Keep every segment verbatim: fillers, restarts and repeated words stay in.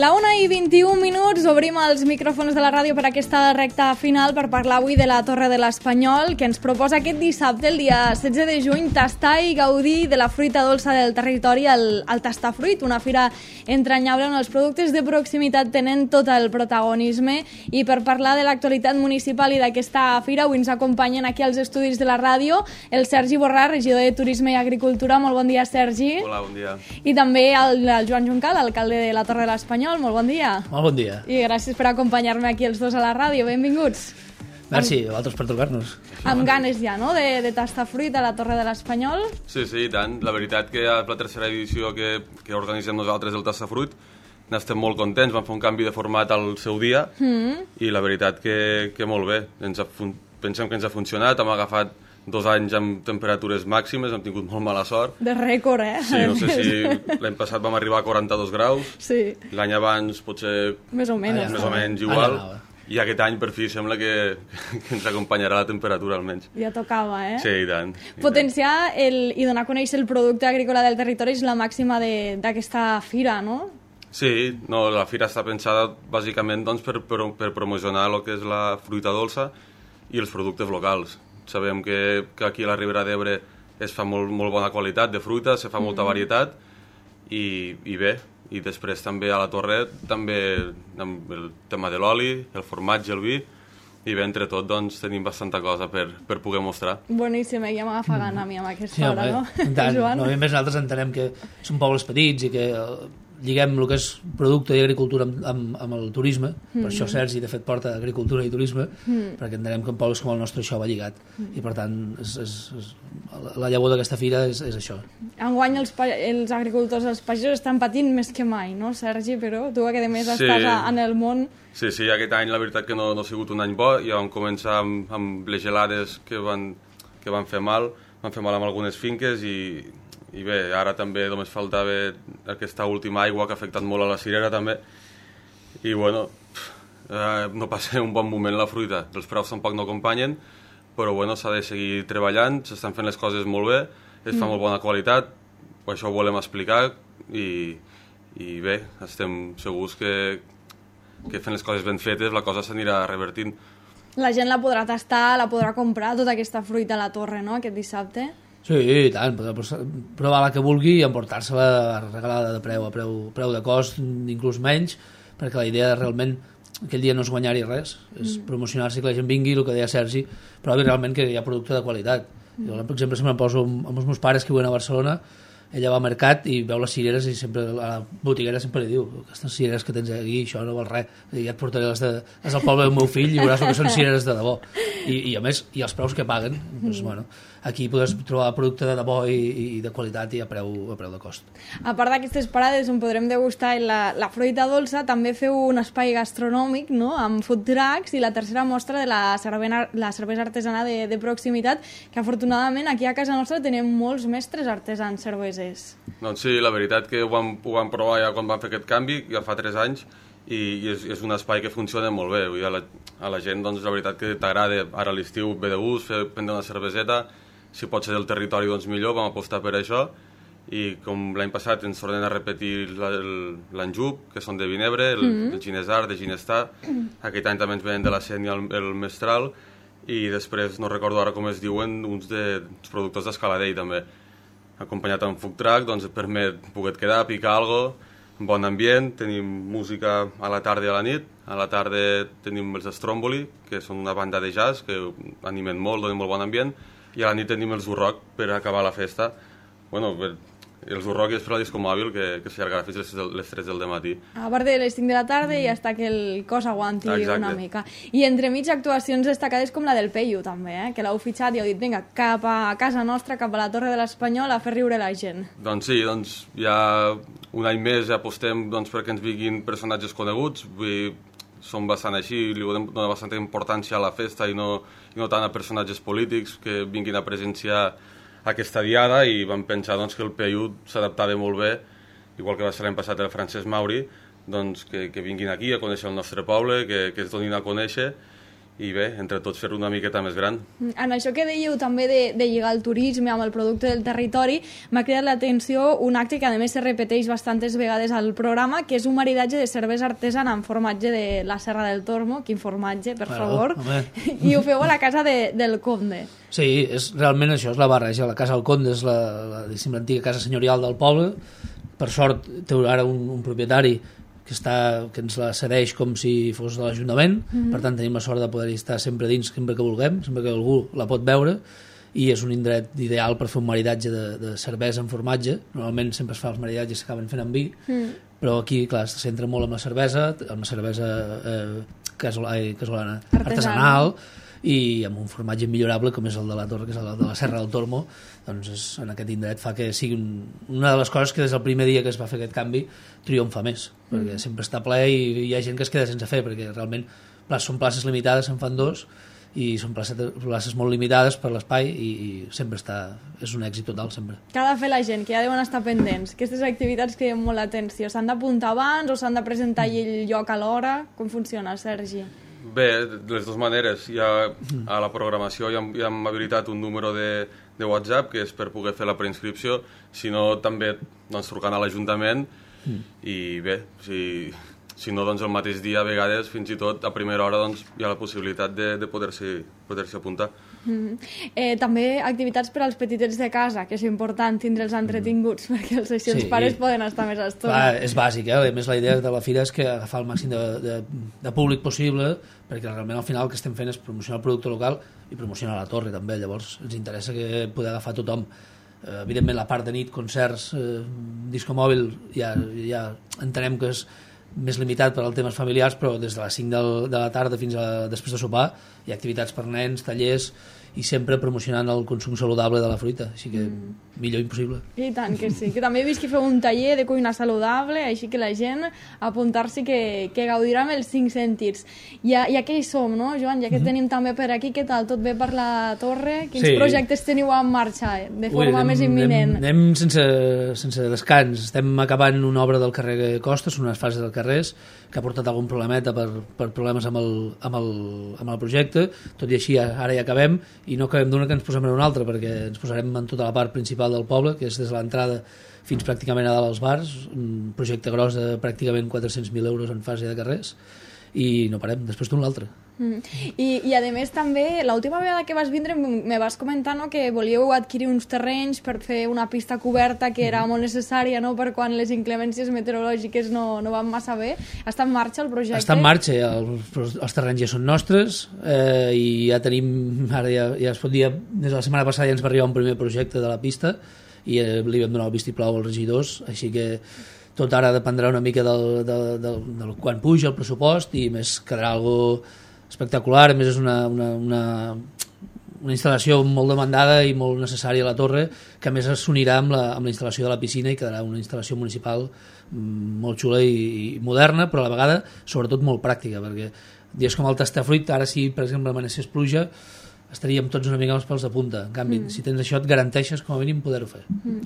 La una i vint-i-un minuts, obrim els micròfons de la ràdio per aquesta recta final per parlar avui de la Torre de l'Espanyol, que ens proposa aquest dissabte, el dia setze de juny, tastar i gaudir de la fruita dolça del territori al, al Tastafruit, una fira entranyable on els productes de proximitat tenen tot el protagonisme. I per parlar de l'actualitat municipal i d'aquesta fira, avui ens acompanyen aquí als estudis de la ràdio el Sergi Borràs, regidor de Turisme i Agricultura. Molt bon dia, Sergi. Hola, bon dia. I també el, el Joan Juncal, alcalde de la Torre de l'Espanyol. Molt bon dia. Molt bon dia. I gràcies per acompanyar-me aquí els dos a la ràdio. Benvinguts. Merci, a vosaltres per trucar-nos. Amb ganes ja, no?, de, de tastar fruit a la Torre de l'Espanyol. Sí, sí, i tant. La veritat que és la tercera edició que, que organitzem nosaltres del Tastafruit. N'estem molt contents, vam fer un canvi de format al seu dia mm. i la veritat que, que molt bé. Ens ha, pensem que ens ha funcionat, hem agafat dos anys amb temperatures màximes, hem tingut molt mala sort. De rècord, eh? Sí, no sé si l'any passat vam arribar a quaranta-dos graus, sí. L'any abans potser més o menys, més o menys igual, i aquest any per fi sembla que, que ens acompanyarà la temperatura almenys. Ja tocava, eh? Sí, i tant. I Potenciar el, i donar a conèixer el producte agrícola del territori és la màxima d'aquesta fira, no? Sí, no, la fira està pensada bàsicament doncs, per, per, per promocionar el que és la fruita dolça i els productes locals. Sabem que, que aquí a la Ribera d'Ebre es fa molt, molt bona qualitat de fruita, se fa molta mm. varietat i, i bé, i després també a la Torre també amb el tema de l'oli, el formatge, el vi, i bé, entre tot doncs, tenim bastanta cosa per, per poder mostrar. Boníssim, ja m'agafa gana a mi amb aquesta sí, hora, no? Tant, no? I més nosaltres entenem que són pobles petits i que lliguem el que és producte i agricultura amb, amb, amb el turisme, mm. per això Sergi de fet porta agricultura i turisme, mm. perquè entenem que en pobles com el nostre això va lligat, mm. i per tant és, és, és, la llavor d'aquesta fira és, és això. Enguany els, els agricultors, els pagesos estan patint més que mai, no, Sergi? Però tu que a més sí. estàs en el món... Sí, sí, aquest any la veritat que no, no ha sigut un any bo, ja vam començar amb, amb les gelades que van, que van fer mal, van fer mal amb algunes finques i... I bé, ara també només faltava aquesta última aigua que ha afectat molt a la cirera també. I bueno, eh, no passa un bon moment la fruita. Els preus tampoc no acompanyen, però bueno, s'ha de seguir treballant, s'estan fent les coses molt bé, es fa mm. molt bona qualitat, això ho volem explicar i, i bé, estem segurs que, que fent les coses ben fetes la cosa s'anirà revertint. La gent la podrà tastar, la podrà comprar, tota aquesta fruita a la Torre, no?, aquest dissabte. Sí, i tant, podrà provar la que vulgui i emportar-se-la regalada de preu, a preu, preu de cost, inclús menys, perquè la idea realment aquell dia no és guanyar-hi res, és mm. promocionar-se, que la gent vingui, el que deia Sergi, però realment que hi ha producte de qualitat. Mm. Jo, per exemple, sempre em poso amb els meus pares que viuen a Barcelona, ella va al mercat i veu les cireres i sempre a la botiguera sempre li diu aquestes cireres que tens aquí, això no val res, ja et portaré les, de, les del poble del meu fill i veuràs que són cireres de debò. I, i a més, i els preus que paguen, doncs, bueno, aquí podràs trobar producte de debò i, i de qualitat i a preu, a preu de cost. A part d'aquestes parades on podrem degustar la, la fruita dolça, també feu un espai gastronòmic, no?, amb food trucks i la tercera mostra de la, cervena, la cervesa artesana de, de proximitat, que afortunadament aquí a casa nostra tenim molts mestres artesans cervesers. Doncs sí, la veritat que ho vam, ho vam provar ja quan vam fer aquest canvi, ja fa tres anys, i, i és, és un espai que funciona molt bé. Vull dir, a, la, a la gent, doncs, la veritat que t'agrada ara a l'estiu ve de gust, fer, prendre una cerveseta, si pot ser del territori, doncs millor, vam apostar per això, i com l'any passat ens tornen a repetir l'Anjup, que són de Vinebre, el, mm-hmm. el Ginesar, de Ginestar, aquest any també ens venen de la Sénia el, el Mestral, i després, no recordo ara com es diuen, uns de, productors d'Escaladell també. Acompanyat amb food truck, doncs et permet poder quedar, picar alguna cosa, bon ambient, tenim música a la tarda i a la nit, a la tarda tenim els Stromboli, que són una banda de jazz que animen molt, donen molt bon ambient, i a la nit tenim els Urroc per acabar la festa. Bueno, per, els Urroc és per la disco mòbil que, que s'allargarà fins les, les tres del matí. A part de les cinc de la tarda i hasta que el cos aguanti Exacte. Una mica. I entremig actuacions destacades com la del Peyu també, eh? Que l'heu fitxat i heu dit, vinga, cap a casa nostra, cap a la Torre de l'Espanyol a fer riure la gent. Doncs sí, doncs ja un any més ja apostem doncs, perquè ens vinguin personatges coneguts, vull dir, som bastant així, li donem bastanta importància a la festa i no, i no tant a personatges polítics que vinguin a presenciar aquesta diada, i vam pensar doncs, que el Peyu s'adaptava molt bé, igual que va ser l'any passat el Francesc Mauri, doncs, que, que vinguin aquí a conèixer el nostre poble, que, que es donin a conèixer, i bé, entre tots fer-ho una miqueta més gran. En això que dèieu també de, de lligar el turisme amb el producte del territori, m'ha cridat l'atenció un acte que a més se repeteix bastantes vegades al programa, que és un maridatge de cervesa artesana amb formatge de la Serra del Tormo, quin formatge, per Bueno, favor, home. i ho feu a la casa de, del Conde. Sí, és, realment això és la barreja. La Casa del Conde és la, la, diguéssim, l'antiga casa senyorial del poble. Per sort té ara un, un propietari que, està, que ens la cedeix com si fos de l'Ajuntament, mm-hmm. Per tant tenim la sort de poder-hi estar sempre dins, sempre que vulguem, sempre que algú la pot veure, i és un indret ideal per fer un maridatge de, de cervesa amb formatge. Normalment sempre es fa els maridatges que s'acaben fent amb vi, mm. però aquí, clar, se centra molt amb la cervesa, amb la cervesa eh, casolana, casolana artesanal, i amb un formatge millorable com és el de la Torre, que és el de la Serra del Tormo. Doncs és, en aquest indret fa que sigui un, una de les coses que des del primer dia que es va fer aquest canvi triomfa més, perquè mm. sempre està ple i hi ha gent que es queda sense fer, perquè realment són places limitades, se'n fan dos, i són places, places molt limitades per l'espai, i, i sempre està, és un èxit total, sempre. Què ha de fer la gent, que ja deuen estar pendents? Aquestes activitats que criden molt l'atenció, s'han d'apuntar abans o s'han de presentar mm. el lloc a l'hora? Com funciona, Sergi? Bé, de les dues maneres. Hi ha, a la programació ja hem, ja hem habilitat un número de, de WhatsApp, que és per poder fer la preinscripció, si no també doncs, trucant a l'Ajuntament, mm. i bé, si, si no doncs el mateix dia, a vegades, fins i tot a primera hora, doncs, hi ha la possibilitat de, de poder-s'hi poder-s'hi apuntar. Mm. Eh, també activitats per als petitets de casa, que és important tindre'ls entretinguts, mm. perquè els, així els sí. pares poden estar més estona. Clar, és bàsic, eh? A més la idea de la fira és que agafar el màxim de, de, de públic possible, perquè realment al final el que estem fent és promocionar el producte local i promocionar la torre també, llavors ens interessa que poder agafar tothom. Eh, evidentment la part de nit, concerts, eh, disco mòbil, ja, ja entenem que és més limitat per als temes familiars, però des de les cinc del, de la tarda fins a després de sopar hi ha activitats per nens, tallers, i sempre promocionant el consum saludable de la fruita, així que mm. millor impossible. I tant que sí, que també he vist que feu un taller de cuina saludable, així que la gent apuntar-s'hi que, que gaudirà amb els cinc sentits. Ja, ja que hi som, no, Joan? Ja que mm-hmm. tenim també per aquí, què tal? Tot bé per la torre? Quins sí. projectes teniu en marxa de forma Ui, anem, més imminent? Anem, anem sense, sense descans. Estem acabant una obra del carrer Costes, unes fases del carrers, que ha portat algun problemeta per, per problemes amb el, amb, el, amb el projecte. Tot i així, ara ja acabem, i no acabem d'una que ens posem en una altra, perquè ens posarem en tota la part principal del poble, que és des de l'entrada fins pràcticament a dalt als bars, un projecte gros de pràcticament quatre-cents mil euros en fase de carrers, i no parem, després d'un l'altre. Mm. I, I a més també, l'última vegada que vas vindre me vas comentar, no, que volíeu adquirir uns terrenys per fer una pista coberta que era molt necessària, no, per quan les inclemències meteorològiques no, no van massa bé. Està en marxa el projecte? Està en marxa, els, els terrenys ja són nostres, eh, i ja tenim, ara ja, ja es pot dir, des de la setmana passada ja ens va arribar un primer projecte de la pista i eh, li vam donar el vistiplau als regidors, així que tot ara dependrà una mica del, del, del, del quan puja el pressupost, i més quedarà algo espectacular. A més és una, una, una, una instal·lació molt demandada i molt necessària a la torre, que a més s'unirà amb, la, amb la instal·lació de la piscina i quedarà una instal·lació municipal molt xula i, i moderna, però a la vegada sobretot molt pràctica, perquè dies com el Tastafruit, ara si per exemple amanecés pluja estaríem tots una mica amb els pèls de punta. En canvi, mm. si tens això et garanteixes com a mínim poder-ho fer. Mm.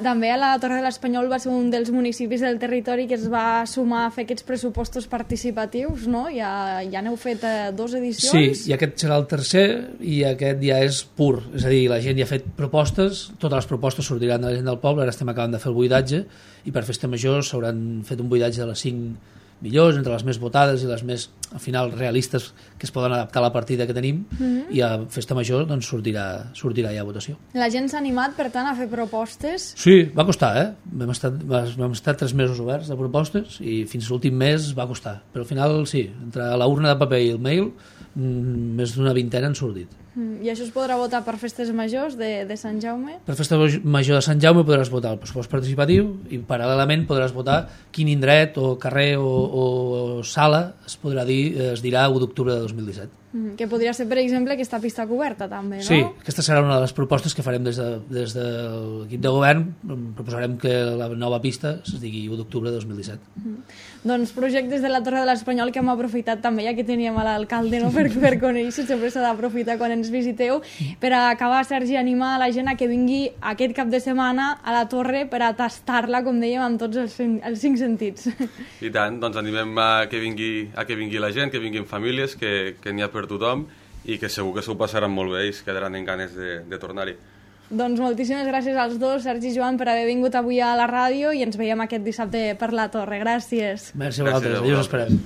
També a la Torre de l'Espanyol va ser un dels municipis del territori que es va sumar a fer aquests pressupostos participatius, no? Ja, ja n'heu fet eh, dos edicions? Sí, i aquest serà el tercer, i aquest ja és pur. És a dir, la gent ja ha fet propostes, totes les propostes sortiran de la gent del poble, ara estem acabant de fer el buidatge, i per festa major s'hauran fet un buidatge de les cinc millors, entre les més votades i les més, al final, realistes, que es poden adaptar a la partida que tenim, mm-hmm. i a festa major doncs, sortirà, sortirà ja a votació. La gent s'ha animat, per tant, a fer propostes? Sí, va costar, eh? Vam estar, vam estar tres mesos oberts de propostes i fins l'últim mes va costar. Però al final, sí, entre la urna de paper i el mail, més d'una vintena han sortit. I això es podrà votar per festes majors de, de Sant Jaume? Per festa major de Sant Jaume podràs votar el pressupost participatiu i paral·lelament podràs votar quin indret o carrer o, o sala es podrà dir, es dirà u d'octubre de dos mil disset. Mm, que podria ser, per exemple, aquesta pista coberta també, no? Sí, aquesta serà una de les propostes que farem des, de, des de l'equip de govern. Proposarem que la nova pista es digui u d'octubre de dos mil disset. Mm. Doncs projectes de la Torre de l'Espanyol que hem aprofitat també, ja que teníem a l'alcalde, no? per, per conèixer, sempre s'ha d'aprofitar quan ens ens visiteu. Per acabar, Sergi, animar a la gent a que vingui aquest cap de setmana a la Torre per a tastar-la, com dèiem, amb tots els cinc, els cinc sentits. I tant, doncs animem a que vingui, a que vingui la gent, que vinguin famílies, que, que n'hi ha per tothom i que segur que s'ho passaran molt bé i es quedaran en ganes de, de tornar-hi. Doncs moltíssimes gràcies als dos, Sergi i Joan, per haver vingut avui a la ràdio i ens veiem aquest dissabte per la Torre. Gràcies. Merci a vosaltres, adiós, esperem.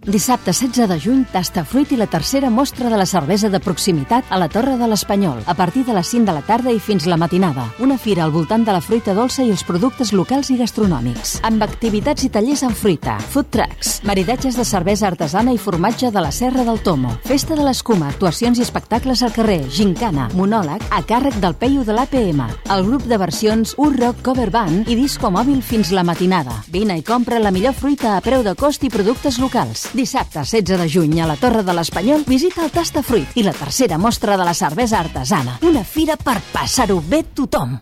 Dissabte setze de juny, Tastafruit i la tercera mostra de la cervesa de proximitat a la Torre de l'Espanyol, a partir de les cinc de la tarda i fins la matinada. Una fira al voltant de la fruita dolça i els productes locals i gastronòmics, amb activitats i tallers en fruita, food trucks, maridatges de cervesa artesana i formatge de la Serra del Tomo, festa de l'escuma, actuacions i espectacles al carrer, gincana, monòleg, a càrrec del Peyu de l'A P M, el grup de versions U-Rock Cover Band i disco mòbil fins la matinada. Vine i compra la millor fruita a preu de cost i productes locals. Dissabte setze de juny a la Torre de l'Espanyol visita el Tastafruit i la tercera mostra de la cervesa artesana. Una fira per passar-ho bé tothom.